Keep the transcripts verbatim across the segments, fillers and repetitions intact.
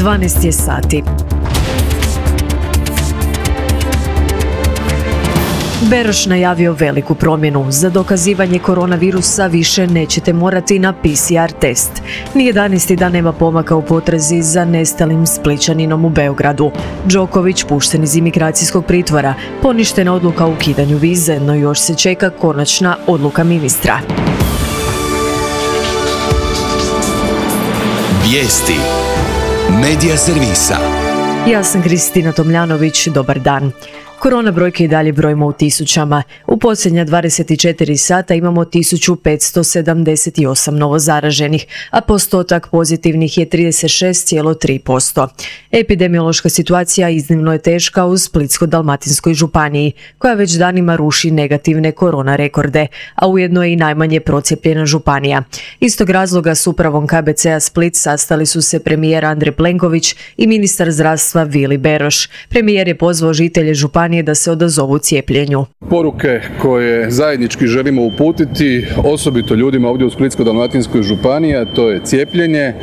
dvanaest je sati. Beroš najavio veliku promjenu. Za dokazivanje koronavirusa više nećete morati na P C R test. Ni jedanaesti dan nema pomaka u potrazi za nestalim Splićaninom u Beogradu. Đoković pušten iz imigracijskog pritvora. Poništena odluka o ukidanju vize, no još se čeka konačna odluka ministra. Vijesti Medija servisa. Ja sam Kristina Tomljanović, dobar dan. Korona brojke i dalje brojimo u tisućama. U posljednja dvadeset četiri sata imamo tisuću petsto sedamdeset osam novozaraženih, a postotak pozitivnih je trideset šest zarez tri posto. Epidemiološka situacija iznimno je teška u Splitsko-dalmatinskoj županiji, koja već danima ruši negativne korona rekorde, a ujedno je i najmanje procijepljena županija. Iz tog razloga s upravom K B C-a Split sastali su se premijer Andrej Plenković i ministar zdravstva Vili Beroš. Premijer je pozvao žitelje županije da se odazovu cijepljenju. Poruke koje zajednički želimo uputiti, osobito ljudima ovdje u Splitsko-dalmatinskoj županiji, a to je cijepljenje,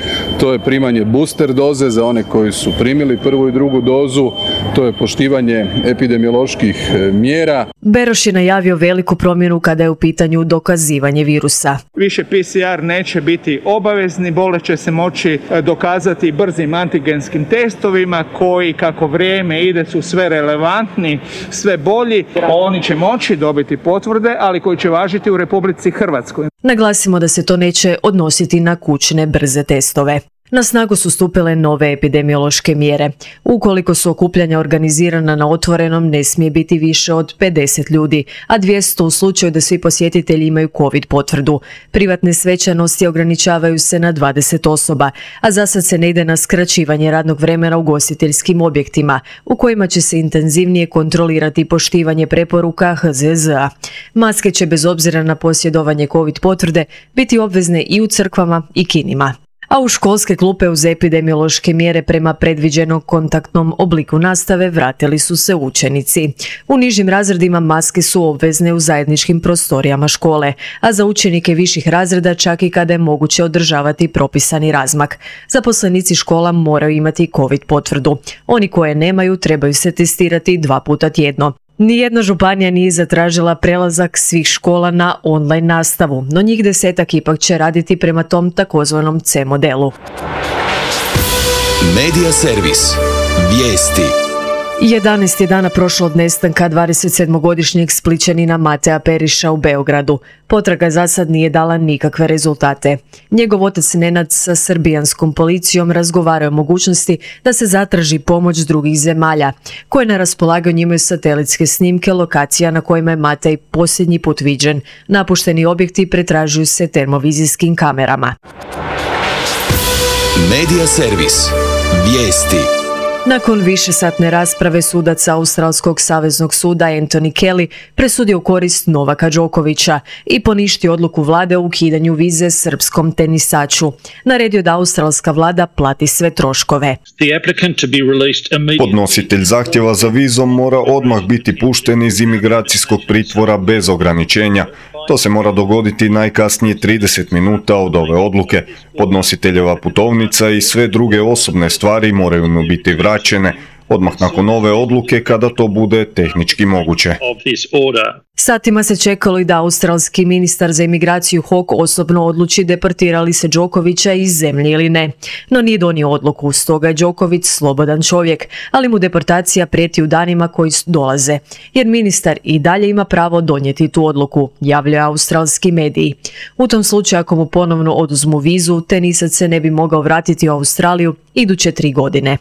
to je primanje booster doze za one koji su primili prvu i drugu dozu, to je poštivanje epidemioloških mjera. Beroš je najavio veliku promjenu kada je u pitanju dokazivanje virusa. Više P C R neće biti obavezni, bolest će se moći dokazati brzim antigenskim testovima koji kako vrijeme ide su sve relevantni, sve bolji. Oni će moći dobiti potvrde, ali koji će važiti u Republici Hrvatskoj. Naglasimo da se to neće odnositi na kućne brze testove. Na snagu su stupile nove epidemiološke mjere. Ukoliko su okupljanja organizirana na otvorenom, ne smije biti više od pedeset ljudi, a dvjesto u slučaju da svi posjetitelji imaju COVID potvrdu. Privatne svečanosti ograničavaju se na dvadeset osoba, a za sad se ne ide na skraćivanje radnog vremena u ugostiteljskim objektima, u kojima će se intenzivnije kontrolirati poštivanje preporuka H Z Z A. Maske će bez obzira na posjedovanje COVID potvrde biti obvezne i u crkvama i kinima. A u školske klupe uz epidemiološke mjere prema predviđenom kontaktnom obliku nastave vratili su se učenici. U nižim razredima maske su obvezne u zajedničkim prostorijama škole, a za učenike viših razreda čak i kada je moguće održavati propisani razmak. Zaposlenici škola moraju imati COVID potvrdu. Oni koje nemaju trebaju se testirati dva puta tjedno. Nijedna županija nije zatražila prelazak svih škola na online nastavu, no njih desetak ipak će raditi prema tom takozvanom C modelu. Medija servis. Vijesti. jedanaest je dana prošlo od nestanka dvadesetsedmogodišnjeg Splićanina Mateja Periša u Beogradu. Potraga za sad nije dala nikakve rezultate. Njegov otac Nenad sa srbijanskom policijom razgovarao o mogućnosti da se zatraži pomoć drugih zemalja, koje na raspolaganju imaju satelitske snimke lokacija na kojima je Matej posljednji put viđen. Napušteni objekti pretražuju se termovizijskim kamerama. Medija servis. Vijesti. Nakon višesatne rasprave sudac Australskog saveznog suda Anthony Kelly presudio u korist Novaka Đokovića i poništio odluku vlade o ukidanju vize srpskom tenisaču. Naredio da australska vlada plati sve troškove. Podnositelj zahtjeva za vizom mora odmah biti pušten iz imigracijskog pritvora bez ograničenja. To se mora dogoditi najkasnije trideset minuta od ove odluke. Podnositeljeva putovnica i sve druge osobne stvari moraju mu biti vraćene odmah nakon ove odluke kada to bude tehnički moguće. Satima se čekalo i da australski ministar za imigraciju Hawke osobno odluči deportira li se Đokovića iz zemlje ili ne. No nije donio odluku, stoga je Đoković slobodan čovjek, ali mu deportacija prijeti u danima koji dolaze, jer ministar i dalje ima pravo donijeti tu odluku, javljaju australski mediji. U tom slučaju ako mu ponovno oduzmu vizu, tenisac se ne bi mogao vratiti u Australiju iduće tri godine.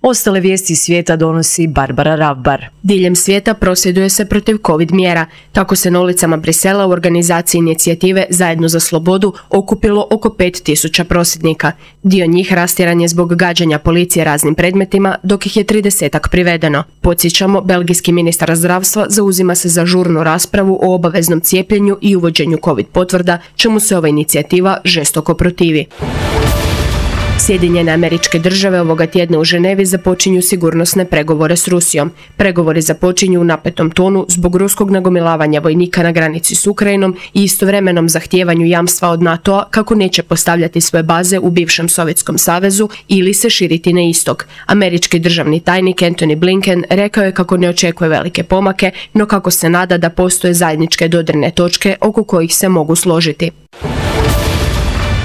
Ostale vijesti svijeta donosi Barbara Ravbar. Diljem svijeta prosvjeduje se protiv COVID mjera. Tako se na ulicama Brisela u organizaciji inicijative Zajedno za slobodu okupilo oko pet tisuća prosvjednika. Dio njih rastjeran je zbog gađanja policije raznim predmetima, dok ih je tridesetak privedeno. Podsjećamo, belgijski ministar zdravstva zauzima se za žurnu raspravu o obaveznom cijepljenju i uvođenju COVID potvrda, čemu se ova inicijativa žestoko protivi. Sjedinjene Američke Države ovoga tjedna u Ženevi započinju sigurnosne pregovore s Rusijom. Pregovori započinju u napetom tonu zbog ruskog nagomilavanja vojnika na granici s Ukrajinom i istovremenom zahtijevanju jamstva od NATO-a kako neće postavljati svoje baze u bivšem Sovjetskom savezu ili se širiti na istok. Američki državni tajnik Antony Blinken rekao je kako ne očekuje velike pomake, no kako se nada da postoje zajedničke dodirne točke oko kojih se mogu složiti.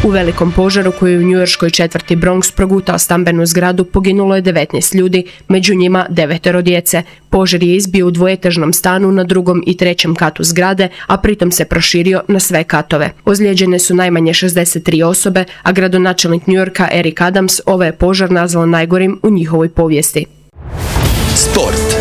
U velikom požaru koji je u njujorškoj četvrti Bronx progutao stambenu zgradu poginulo je devetnaest ljudi, među njima devetero djece. Požar je izbio u dvoetažnom stanu na drugom i trećem katu zgrade, a pritom se proširio na sve katove. Ozlijeđene su najmanje šezdeset tri osobe, a gradonačelnik Njujorka Eric Adams ovaj je požar nazvao najgorim u njihovoj povijesti. Sport.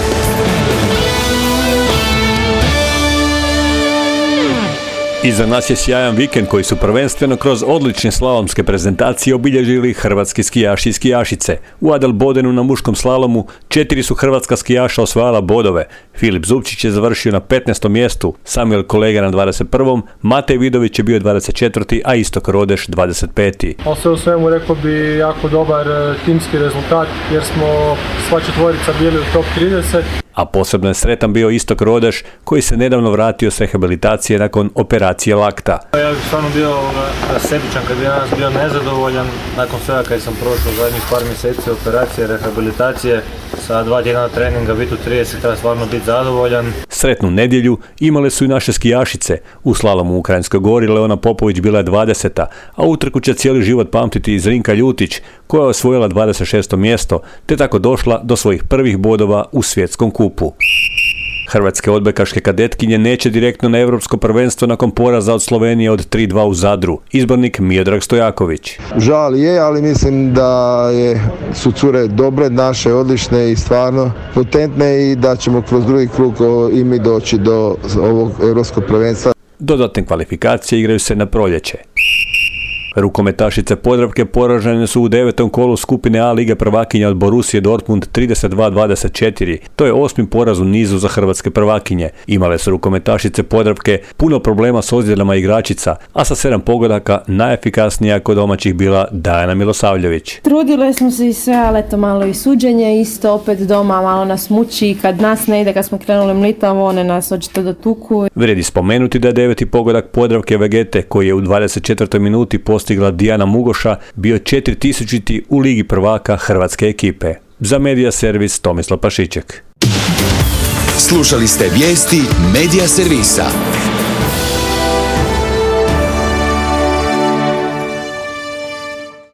Iza nas je sjajan vikend koji su prvenstveno kroz odlične slalomske prezentacije obilježili hrvatski skijaši i skijašice. U Adelbodenu na muškom slalomu četiri su hrvatska skijaša osvajala bodove. Filip Zupčić je završio na petnaestom mjestu, Samuel Kolega na dvadeset prvom, Matej Vidović je bio dvadeset četvrti, a Istok Rodeš dvadeset peti. Ali sve u svemu rekao bi jako dobar timski rezultat jer smo sva četvorica bili u top trideset. A posebno je sretan bio Istok Rodeš koji se nedavno vratio s rehabilitacije nakon operacije lakta. Ja bih stvarno bio rasebičan kad bi danas bio nezadovoljan nakon svega kad sam prošao zadnjih par mjeseci operacije, rehabilitacije, sa dva tjedna treninga biti u trideset, treba stvarno biti zadovoljan. Sretnu nedjelju imale su i naše skijašice. U slalomu u Ukrajinskoj Gori Leona Popović bila je dvadeseta, a utrku će cijeli život pamtiti i Zrinka Ljutić koja je osvojila dvadeset šesto mjesto te tako došla do svojih prvih bodova u svjetskom kupu. Hrvatske odbojkaške kadetkinje neće direktno na europsko prvenstvo nakon poraza od Slovenije od tri dva u Zadru. Izbornik Miodrag Stojaković. Žal je, ali mislim da je, su cure dobre, naše, odlične i stvarno potentne i da ćemo kroz drugi krug i mi doći do ovog europskog prvenstva. Dodatne kvalifikacije igraju se na proljeće. Rukometašice Podravke poražene su u devetom kolu skupine A lige prvakinja od Borusije Dortmund trideset dva dvadeset četiri. To je osmi poraz u nizu za hrvatske prvakinje. Imale su rukometašice Podravke puno problema s ozljedama igračica, a sa sedam pogodaka najefikasnija kod domaćih bila Dajana Milosavljević. Trudile smo se i sve, ali eto malo i suđenje, isto opet doma malo nas muči, kad nas ne ide, kad smo krenuli mlitavo, one nas očito do tuku. Vrijedi spomenuti da je deveti pogodak Podravke Vegete, koji je u dvadeset četvrtoj minuti postigla Dijana Mugoša, bio četiri tisućiti u Ligi prvaka hrvatske ekipe. Za Medija Servis Tomislav Pašiček. Slušali ste vijesti Medija Servisa.